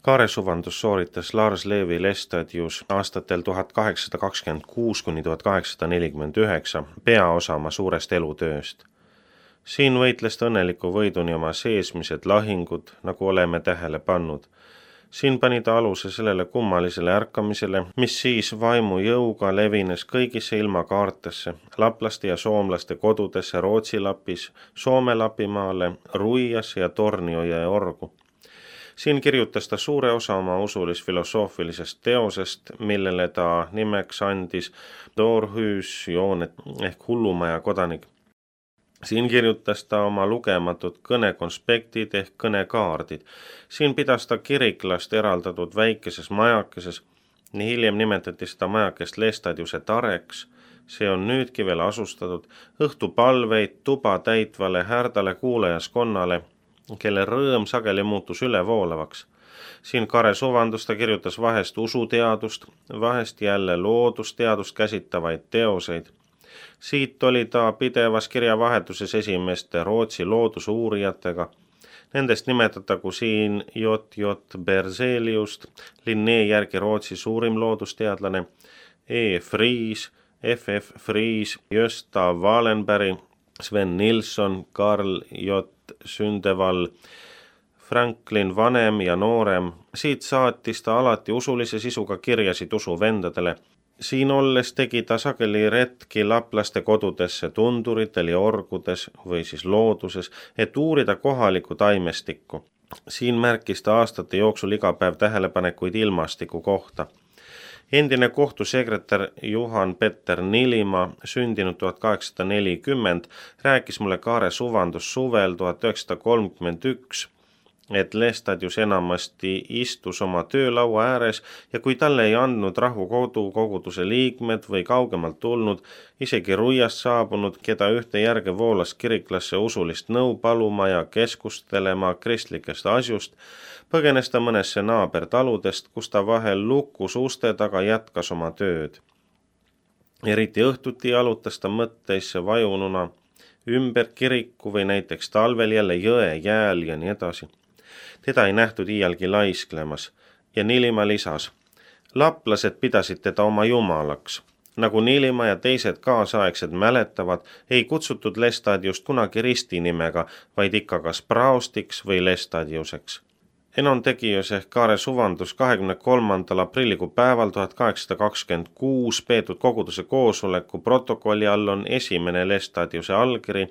Kaaresuvandus sooritas Lars Levi Lestadius aastatel 1826–1849 peaosa oma suurest elutööst. Siin võitles ta õnneliku võiduni oma seesmised lahingud, nagu oleme tähele pannud. Siin pani ta aluse sellele kummalisele ärkamisele, mis siis vaimu jõuga levines kõigisse ilmakaartesse, laplaste ja soomlaste kodudesse Rootsi lapis, Soome lapimaale, Ruiasse ja Tornioja ja Orgu. Siin kirjutas ta suure osa oma usulis-filosoofilisest teosest, millele ta nimeks andis Dårhusjoonet ehk hullumaja kodanik. Siin kirjutas ta oma lugematud kõnekonspektid ehk kõnekaardid. Siin pidas ta kiriklast eraldatud väikeses majakeses, nii hiljem nimetati seda majakest Lestadiuse tareks. See on nüüdki veel asustatud õhtupalveid tuba täitvale härdale kuulajaskonnale, kelle rõõm sageli muutus ülevoolavaks. Siin Kaaresuvandus ta kirjutas vahest usuteadust, vahest jälle loodusteadust käsitavaid teoseid. Siit oli ta pidevas kirjavahetuses esimeste Rootsi loodusuurijatega. Nendest nimetatagu siin J.J. Berzeliust, Linné järgi Rootsi suurim loodusteadlane, E. Friis, F.F. Friis, Gösta Wallenberg, Sven Nilsson, Karl J. Sündeval, Franklin vanem ja noorem. Siit saatis ta alati usulise sisuga kirjasid usuvendadele. Siin olles tegi ta sageli retki laplaste kodudesse tunduritel ja orgudes või siis looduses, et uurida kohalikku taimestikku. Siin märkis ta aastate jooksul iga päev tähelepanekuid ilmastiku kohta. Endine kohtusekretär Juhan Petter Nilimaa, sündinud 1840, rääkis mulle Kaaresuvandus suvel 1931, et Lestadius enamasti istus oma töölaua ääres ja kui talle ei andnud rahukodu koguduse liikmed või kaugemalt tulnud, isegi Ruiast saabunud, keda ühte järge voolas kiriklasse usulist nõu paluma ja keskustelema kristlikest asjust, põgenes ta mõnesse naabertaludest, kus ta vahel lukus uste taga jätkas oma tööd. Eriti õhtuti jalutas ta mõtteisse vajununa ümber kiriku või näiteks talvel jälle jõe jääl ja nii edasi. Teda ei nähtud iialgi laisklemas ja Nilimaa lisas. Laplased pidasid teda oma jumalaks. Nagu Nilimaa ja teised kaasaegsed mäletavad, ei kutsutud Lestadiust kunagi ristinimega, vaid ikka kas praostiks või Lestadiuseks. Enon tegius ehk Kaaresuvandus 23. aprillikuu päeval 1826 peetud koguduse koosoleku protokolli all on esimene Lestadiuse allkiri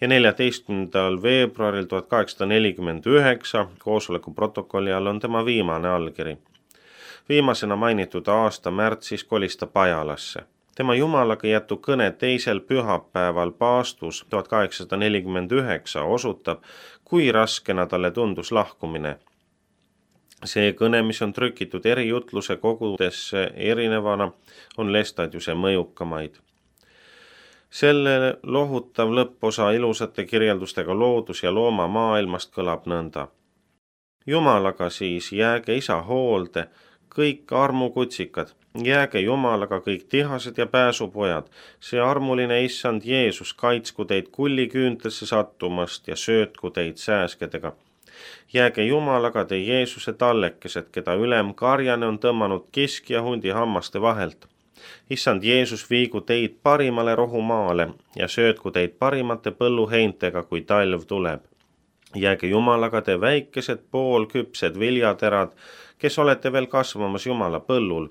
ja 14. veebruaril 1849 koosoleku protokolli all on tema viimane allkiri. Viimasena mainitud aasta märtsis kolis ta Pajalasse. Tema jumalaga jätu kõne teisel pühapäeval paastus 1849 osutab, kui raskena talle tundus lahkumine. See kõne, mis on trükitud eri jutluse kogudesse erinevana, on Lestadiuse mõjukamaid. Selle lohutav lõpposa ilusate kirjeldustega loodus- ja loomamaailmast kõlab nõnda. Jumalaga siis jääge isa hoolde, kõik armukutsikad, jääge Jumalaga kõik tihased ja pääsupojad, see armuline issand Jeesus kaitsku teid kulliküüntesse sattumast ja söötku teid sääskedega. Jääge Jumalaga te Jeesuse tallekesed, keda ülem Karjane on tõmmanud kiski ja hundi hammaste vahelt. Issand Jeesus viigu teid parimale rohumaale ja söötku teid parimate põlluheintega, kui talv tuleb. Jääge Jumalaga te väikesed poolküpsed viljaterad, kes olete veel kasvamas Jumala põllul.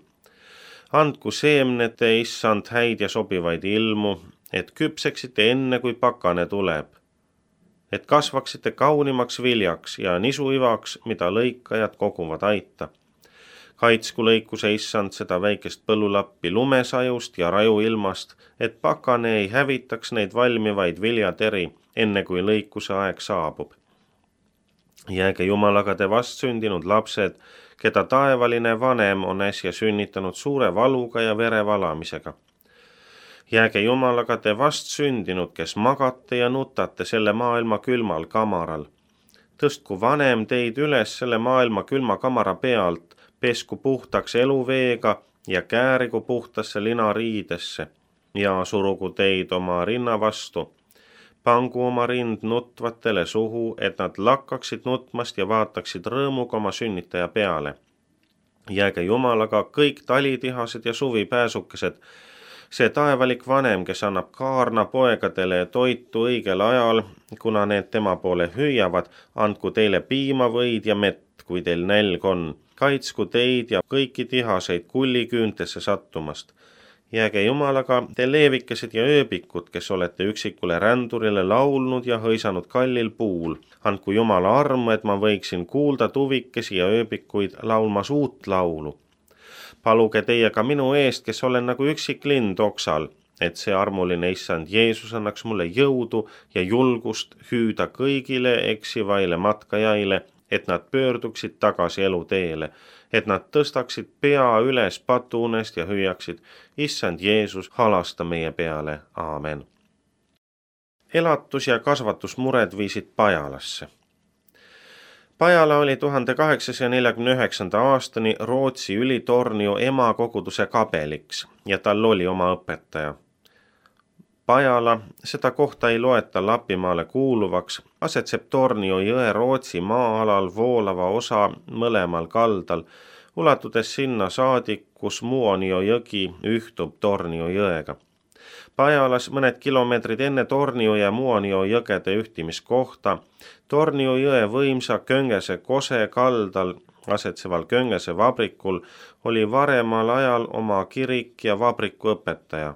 Andku seemnete issand häid ja sobivaid ilmu, et küpseksite enne, kui pakane tuleb. Et kasvaksite kaunimaks viljaks ja nisuivaks, mida lõikajad koguvad aita. Kaitsku lõikuse issand seda väikest põllulappi lumesajust ja rajuilmast, et pakane ei hävitaks neid valmivaid viljateri, enne kui lõikuse aeg saabub. Jääge Jumalaga te vastsündinud lapsed, keda taevaline vanem on äsja sünnitanud suure valuga ja verevalamisega. Jääge Jumalaga te vastsündinud, kes magate ja nutate selle maailma külmal kamaral. Tõstku vanem teid üles selle maailma külma kamara pealt, pesku puhtaks eluveega ja käärigu puhtasse linariidesse ja surugu teid oma rinna vastu. Pangu oma rind nutvatele suhu, et nad lakkaksid nutmast ja vaataksid rõõmuga oma sünnitaja peale. Jääge Jumalaga kõik talitihased ja suvipääsukesed, see taevalik vanem, kes annab kaarna poegadele toitu õigel ajal, kuna need tema poole hüüavad, andku teile piima, võid ja mett, kui teil nälg on. Kaitsku teid ja kõiki tihaseid kulliküüntesse sattumast. Jääge Jumalaga, te leevikesed ja ööbikud, kes olete üksikule rändurile laulnud ja hõisanud kallil puul. Andku Jumala armu, et ma võiksin kuulda tuvikesi ja ööbikuid laulmas uut laulu. Paluge teie ka minu eest, kes olen nagu üksik lind oksal, et see armuline issand Jeesus annaks mulle jõudu ja julgust hüüda kõigile eksivaile matkajaile, et nad pöörduksid tagasi eluteele, et nad tõstaksid pea üles patuunest ja hüüaksid, issand Jeesus, halasta meie peale, aamen. Elatus- ja kasvatusmured viisid Pajalasse. Pajala oli 1849. aastani Rootsi Ülitornio emakoguduse kabeliks ja tal oli oma õpetaja. Pajala, seda kohta ei loeta Lapimaale kuuluvaks, asetseb Tornio jõe Rootsi maa-alal voolava osa mõlemal kaldal, ulatudes sinna saadik, kus Muonio jõgi ühtub Tornio jõega. Pajalas mõned kilomeetrid enne Tornio ja Muonio jõgede ühtimiskohta, Tornio jõe võimsa Köngese kose kaldal asetseval Köngese vabrikul oli varemal ajal oma kirik ja vabriku õpetaja.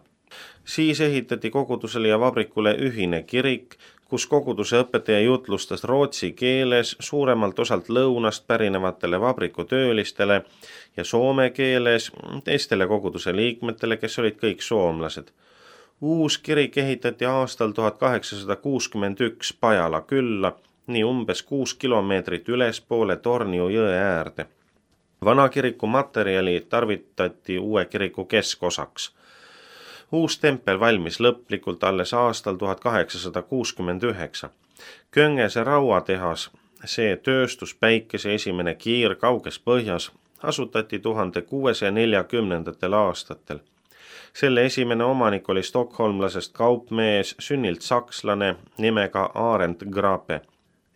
Siis ehitati kogudusele ja vabrikule ühine kirik, kus koguduse õpetaja jutlustas rootsi keeles suuremalt osalt lõunast pärinevatele vabrikutöölistele ja soome keeles teistele koguduse liikmetele, kes olid kõik soomlased. Uus kirik ehitati aastal 1861 Pajala külla, nii umbes 6 kilomeetrit ülespoole Tornio jõe äärde. Vana kiriku materjali tarvitati uue kiriku keskosaks. Uus tempel valmis lõplikult alles aastal 1869. Köngese rauatehas, see tööstuspäikese esimene kiir kauges põhjas, asutati 1640. aastatel. Selle esimene omanik oli stokholmlasest kaupmees, sünnilt sakslane nimega Arent Grape.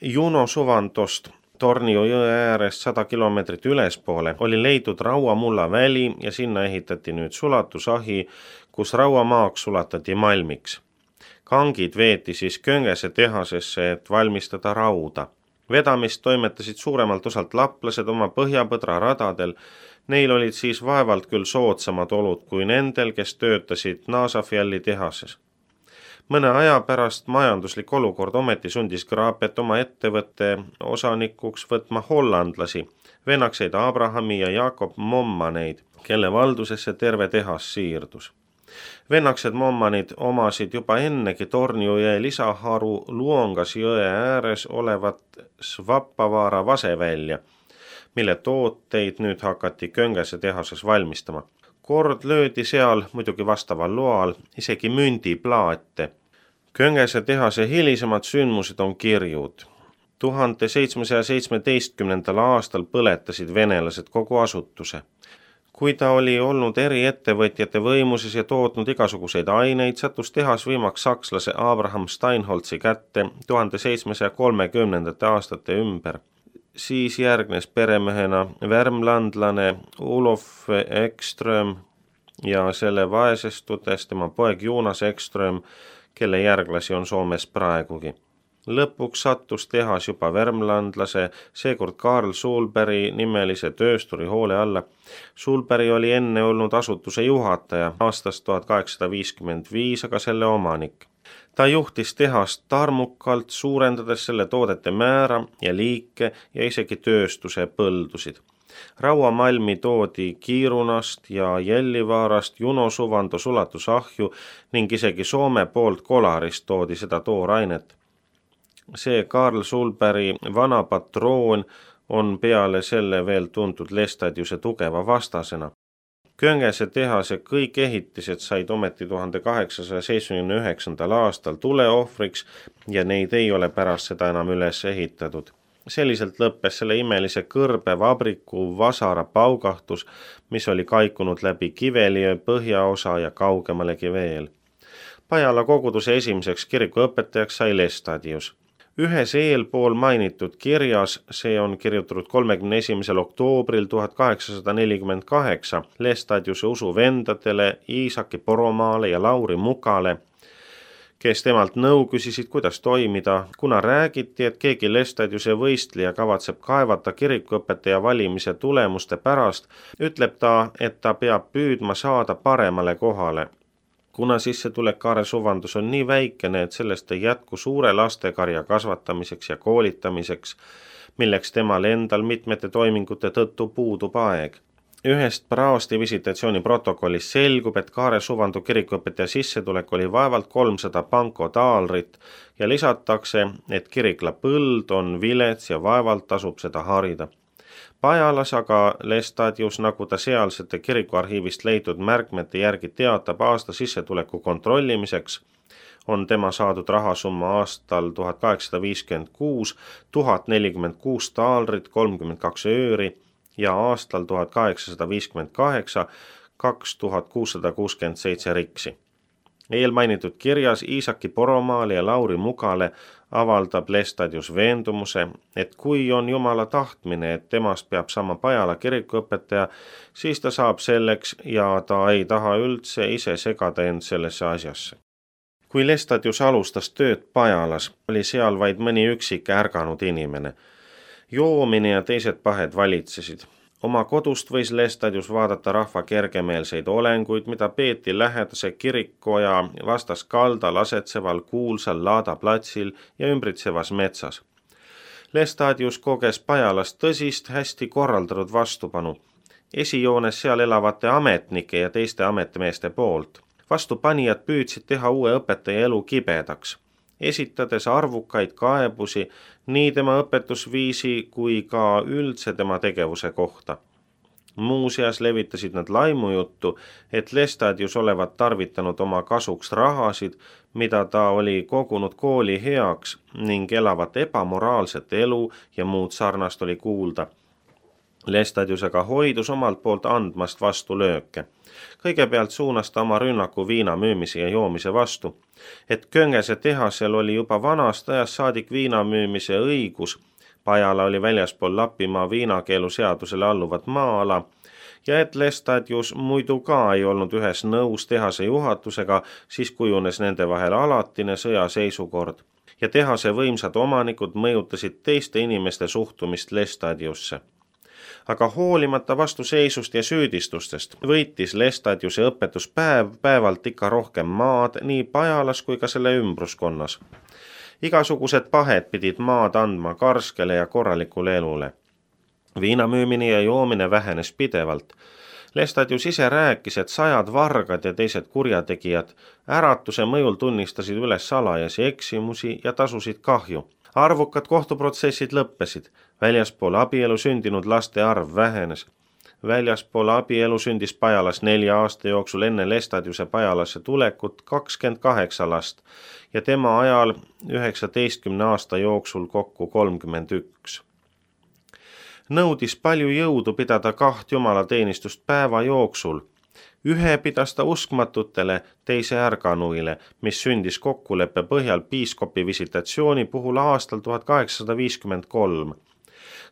Juno suvantost Tornio jõe äärest 100 kilomeetrit ülespoole oli leidnud rauamulla väli ja sinna ehitati nüüd sulatusahi, kus rauamaaks sulatati malmiks. Kangid veeti siis Köngese tehasesse, et valmistada rauda. Vedamist toimetasid suuremalt osalt laplased oma põhjapõdra radadel. Neil olid siis vaevalt küll soodsamad olud kui nendel, kes töötasid Naasafjalli tehases. Mõne aja pärast majanduslik olukord ometi sundis Grapet oma ettevõtte osanikuks võtma hollandlasi, vennakseid Abrahami ja Jakob Mommaneid, kelle valdusesse terve tehas siirdus. Vennaksed Mommanid omasid juba ennegi Tornio jõe lisaharu Luongas jõe ääres olevat Svappavaara vasevälja, mille tooteid nüüd hakati Köngese tehases valmistama. Kord löödi seal muidugi vastaval loal isegi mündiplaate. Köngese tehase hilisemad sündmused on kirjud. 1717. aastal põletasid venelased kogu asutuse. Kui ta oli olnud eri ettevõtjate võimuses ja tootnud igasuguseid aineid, sattus tehas võimaks sakslase Abraham Steinholzi kätte 1730. aastate ümber. Siis järgnes peremehena värmlandlane Olof Ekström ja selle vaesestudes tema poeg Jonas Ekström, kelle järglasi on Soomes praegugi. Lõpuks sattus tehas juba värmlandlase, seekord Karl Sulberg nimelise töösturi hoole alla. Sulberg oli enne olnud asutuse juhataja aastast 1855, aga selle omanik. Ta juhtis tehast tarmukalt, suurendades selle toodete määra ja liike ja isegi tööstuse põldusid. Rauamalmi toodi Kiirunast ja Jellivaarast, Juno suvando sulatusahju ning isegi Soome poolt Kolarist toodi seda toorainet. See Karl Sulbergi vana patroon on peale selle veel tuntud Lestadiuse tugeva vastasena. Köngese tehase kõik ehitised said ometi 1879. aastal tuleohvriks ja neid ei ole pärast seda enam üles ehitatud. Selliselt lõppes selle imelise kõrbe vabriku vasara paugahtus, mis oli kaikunud läbi Kiveliö põhjaosa ja kaugemalegi veel. Pajala koguduse esimeseks kirikuõpetajaks sai Lestadius. Ühes eelpool mainitud kirjas, see on kirjutatud 31. oktoobril 1848 Lestadiuse usuvendadele Iisaki Poromaale ja Lauri Mukale, kes temalt nõu küsisid, kuidas toimida, kuna räägiti, et keegi Lestadiuse võistleja kavatseb kaevata kirikuõpetaja valimise tulemuste pärast, ütleb ta, et ta peab püüdma saada paremale kohale. Kuna sissetulek Kaare Suvandus on nii väikene, et sellest ei jätku suure lastekarja kasvatamiseks ja koolitamiseks, milleks temal endal mitmete toimingute tõttu puudub aeg. Ühest praosti visitatsiooni protokollist selgub, et Kaare Suvandu kirikuõpetaja sissetulek oli vaevalt 300 pankotaalrit ja lisatakse, et kirikla põld on vilets ja vaevalt tasub seda harida. Pajalas aga Lestadius, nagu ta sealsete kirikuarhiivist leitud märkmete järgi teatab aasta sissetuleku kontrollimiseks, on tema saadud rahasumma aastal 1856 1046 taalrit 32 ööri ja aastal 1858 2667 riksi. Eelmainitud kirjas Iisaki Poromaale ja Lauri Mukale avaldab Lestadius veendumuse, et kui on Jumala tahtmine, et temast peab saama Pajala kirikuõpetaja, siis ta saab selleks ja ta ei taha üldse ise segada end sellesse asjasse. Kui Lestadius alustas tööd Pajalas, oli seal vaid mõni üksik ärganud inimene. Joomine ja teised pahed valitsesid. Oma kodust võis Lestadius vaadata rahva kergemeelseid olenguid, mida peeti lähedase kirikuoja vastas kaldal asetseval kuulsal laadaplatsil ja ümbritsevas metsas. Lestadius koges Pajalas tõsist, hästi korraldatud vastupanu. Esijoones seal elavate ametnike ja teiste ametmeeste poolt. Vastupanijad püüdsid teha uue õpetaja elu kibedaks, esitades arvukaid kaebusi nii tema õpetusviisi kui ka üldse tema tegevuse kohta. Muuseas levitasid nad laimujuttu, et Lestadius olevat tarvitanud oma kasuks rahasid, mida ta oli kogunud kooli heaks ning elavat ebamoraalset elu ja muud sarnast oli kuulda. Lestadius aga hoidus omalt poolt andmast vastu lööke. Kõigepealt suunas ta oma rünnaku viina müümise ja joomise vastu, et Köngese tehasel oli juba vanast ajast saadik viina müümise õigus, Pajala oli väljaspool Lapimaa viinakeelu seadusele alluvat maa-ala ja et Lestadius muidu ka ei olnud ühes nõus tehase juhatusega, siis kujunes nende vahel alatine sõjaseisukord ja tehase võimsad omanikud mõjutasid teiste inimeste suhtumist Lestadiusse. Aga hoolimata vastuseisust ja süüdistustest võitis Lestadiuse õpetus päevalt ikka rohkem maad nii Pajalas kui ka selle ümbruskonnas. Igasugused pahed pidid maad andma karskele ja korralikule elule. Viinamüümine ja joomine vähenes pidevalt. Lestadius ise rääkis, et 100 vargad ja teised kurjategijad äratuse mõjul tunnistasid üles salajasi eksimusi ja tasusid kahju. Arvukad kohtuprotsessid lõppesid. Väljaspool abielu sündinud laste arv vähenes. Väljaspool abielu sündis Pajalas 4 aasta jooksul enne Lestadiuse Pajalasse tulekut 28 last ja tema ajal 19 aasta jooksul kokku 31. Nõudis palju jõudu pidada 2 jumalateenistust päeva jooksul. Ühe pidas ta uskmatutele, teise ärganuile, mis sündis kokkuleppe põhjal piiskopi visitatsiooni puhul aastal 1853.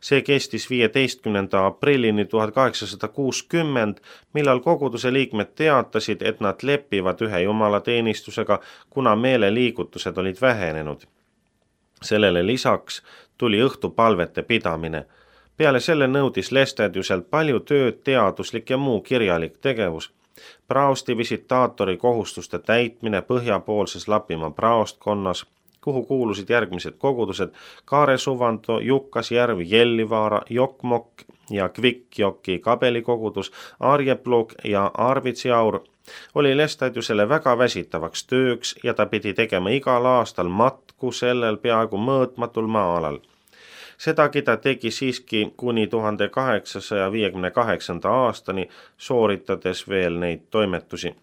See kestis 15. aprillini 1860, millal koguduse liikmed teatasid, et nad lepivad ühe jumalateenistusega, kuna meeleliigutused olid vähenenud. Sellele lisaks tuli õhtupalvete pidamine. Peale selle nõudis Lestadiuselt palju tööd, teaduslik ja muu kirjalik tegevus. Praosti visitaatori kohustuste täitmine põhjapoolses Lapimaa praostkonnas, kuhu kuulusid järgmised kogudused Kaare Suvando, Jukkasjärv, Jellivaara, Jokmokk ja Kvikkjoki kabelikogudus, Arjeplug ja Arvitsiaur, oli Lestadiusele väga väsitavaks tööks ja ta pidi tegema igal aastal matku sellel peaaegu mõõtmatul maa-alal. Sedagi ta tegi siiski kuni 1858. aastani, sooritades veel neid toimetusi.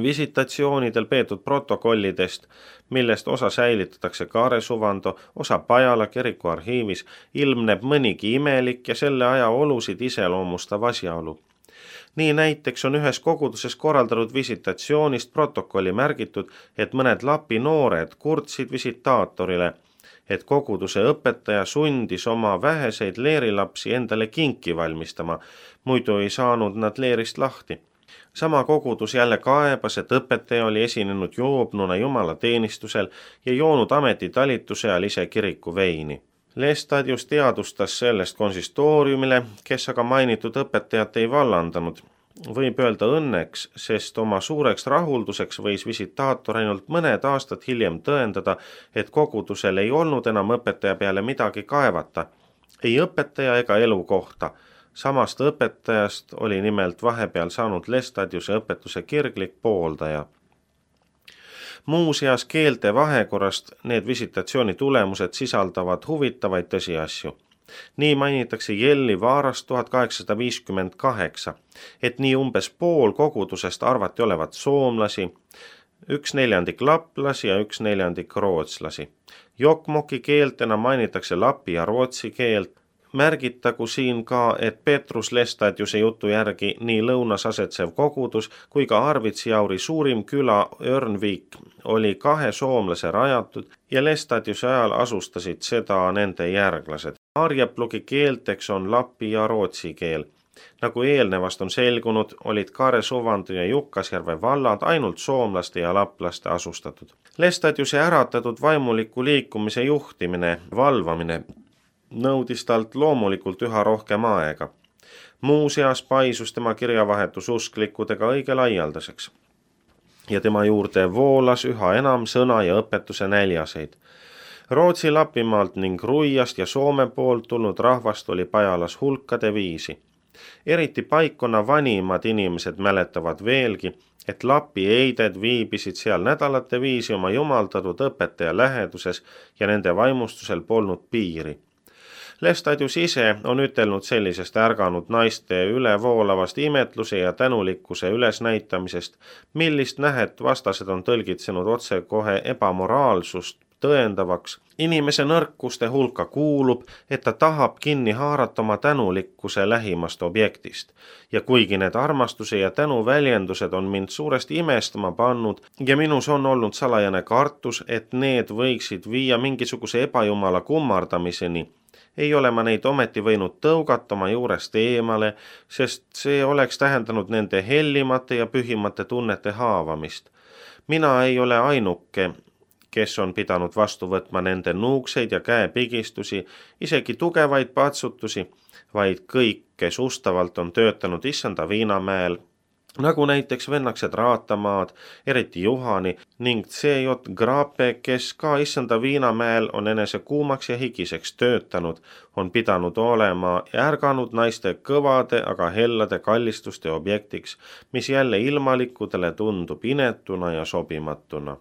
Visitatsioonidel peetud protokollidest, millest osa säilitatakse Kaare Suvando, osa Pajala kiriku arhiivis, ilmneb mõnigi imelik ja selle aja olusid iseloomustav asjaolu. Nii näiteks on ühes koguduses korraldatud visitatsioonist protokolli märgitud, et mõned Lapi noored kurtsid visitaatorile, et koguduse õpetaja sundis oma väheseid leerilapsi endale kinki valmistama, muidu ei saanud nad leerist lahti. Sama kogudus jälle kaebas, et õpetaja oli esinenud joobnuna jumalateenistusel ja joonud ametitalituse ajal ise kiriku veini. Lestadius teadustas sellest konsistooriumile, kes aga mainitud õpetajat ei vallandanud. Võib öelda õnneks, sest oma suureks rahulduseks võis visitaator ainult mõned aastad hiljem tõendada, et kogudusel ei olnud enam õpetaja peale midagi kaevata, ei õpetaja ega elukohta. Samast õpetajast oli nimelt vahepeal saanud Lestadiuse õpetuse kirglik pooldaja. Muuseas keelte vahekorrast need visitatsiooni tulemused sisaldavad huvitavaid tõsiasju. Nii mainitakse Jelli Vaarast 1858, et nii umbes pool kogudusest arvati olevat soomlasi, 1/4 laplasi ja 1/4 rootslasi. Jokmoki keeltena mainitakse lapi ja rootsi keelt. Märgitagu siin ka, et Petrus Lestadiuse jutu järgi nii lõunas asetsev kogudus kui ka Arvidsjauri suurim küla Örnvik oli 2 soomlase rajatud ja Lestadiuse ajal asustasid seda nende järglased. Arjeplugi keelteks on lapi ja rootsi keel. Nagu eelnevast on selgunud, olid Kare-Suvandi ja Jukkasjärve vallad ainult soomlaste ja laplaste asustatud. Lestadiuse äratatud vaimuliku liikumise juhtimine, valvamine nõudis talt loomulikult üha rohkem aega. Muuseas paisus tema kirjavahetus usklikudega õige laialdaseks. Ja tema juurde voolas üha enam sõna ja õpetuse näljaseid. Rootsi Lapimaalt ning Ruiast ja Soome poolt tulnud rahvast oli Pajalas hulkade viisi. Eriti paikkonna vanimad inimesed mäletavad veelgi, et Lapi eided viibisid seal nädalate viisi oma jumaldatud õpetaja läheduses ja nende vaimustusel polnud piiri. Lestadius ise on ütelnud sellisest ärganud naiste ülevoolavast imetluse ja tänulikkuse ülesnäitamisest, millist nähet vastased on tõlgitsenud otsekohe ebamoraalsust tõendavaks. Inimese nõrkuste hulka kuulub, et ta tahab kinni haarata oma tänulikkuse lähimast objektist. Ja kuigi need armastuse ja tänu väljendused on mind suuresti imestama pannud ja minus on olnud salajane kartus, et need võiksid viia mingisuguse ebajumala kummardamiseni, ei ole ma neid ometi võinud tõugata oma juurest eemale, sest see oleks tähendanud nende hellimate ja pühimate tunnete haavamist. Mina ei ole ainuke, kes on pidanud vastu võtma nende nuugseid ja käepigistusi, isegi tugevaid patsutusi, vaid kõik, kes ustavalt on töötanud Issanda Viinamäel, nagu näiteks vennaksed Raatamaad, eriti Juhani ning C.J. Grape, kes ka Issanda Viinamäel on enese kuumaks ja higiseks töötanud, on pidanud olema ärganud naiste kõvade, aga hellade kallistuste objektiks, mis jälle ilmalikudele tundub inetuna ja sobimatuna.